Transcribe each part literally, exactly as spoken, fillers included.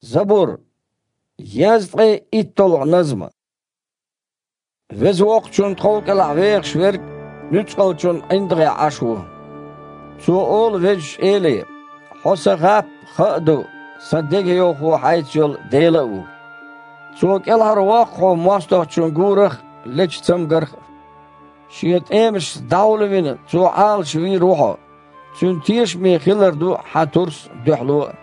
Забур. Язткъе иттолгӀа назма. Веза Воккхачун тхов кӀелахь вехаш верг нуьцкъалчун ӀиндагӀехь Ӏаш ву. Цо олу Везачу Эле: «Хьо сан гӀап а, хан а ду, сан дегайовхо хьайца йолу Дела а ву». Цо кӀелхьарвоккху хьо мостагӀчун гурах а, лечу цамгарх а. Шен тӀемашца дӀахьулвина, цо Ӏалашвийр ву хьо. Цуьнан тешаме хилар ду хьан турс а, дуьхьало а.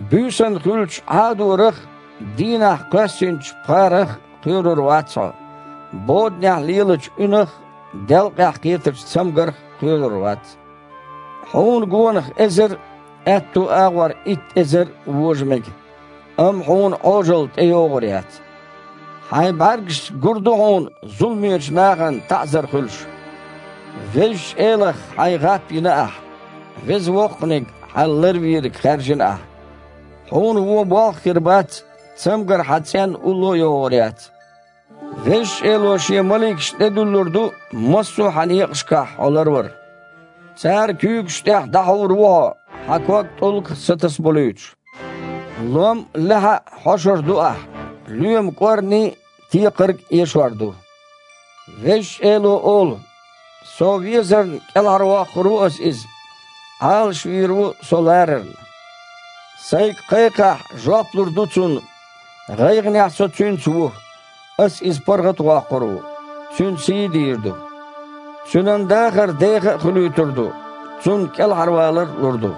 Буьйсанна хуьлучу Ӏадорах а, дийнахь кхоьссинчу пхарах а кхоьрур вац хьо, боданехь лелачу уьнах а, делкъехь кхетачу цамгарх а кхоьрур вац. Хьуна гонах эзар а, аьтту агӀор итт эзар а вожа мега, амма хьуна Ӏожалла тӀейогӀур яц. Хьайн бӀаьргашца гур ду хьуна зуламечу нахана таӀзар хуьлуш. Везачу Элах хьайн гӀап йина ахь, Веза Воккханиг хьан ларвийриг хаьржина ахь. Хьуна вон болх а хир бац, цамгар хьан цӀенна улло а йогӀур яц. Везачу Эло Шен маликаш тӀедуьллур ду массо а хьан некъашкахь хьо ларвар. Цара куьйгаш тӀехь дӀахьур ву хьо, хьан ког тӀулгах а сатасаболуьйтуш. Лом а, лаьхьа а хьошур ду ахь, лоьма кӀорни а, текхарг а эшор ду. Везачу Эло олу: «Со везарна кӀелхьарвоккхур ву аса иза, Ӏалашвийр ву со ларарна. Сайга кхайкхахь, жоп лур ду цунна, гӀайгӀанехь со цуьнца ву, аса иза паргӀат а воккхур ву, цуьнан сий а дийр ду. Цуьнан дахар деха а хуьлуьйтур ду, цунна кӀелхьарвалар а лур ду».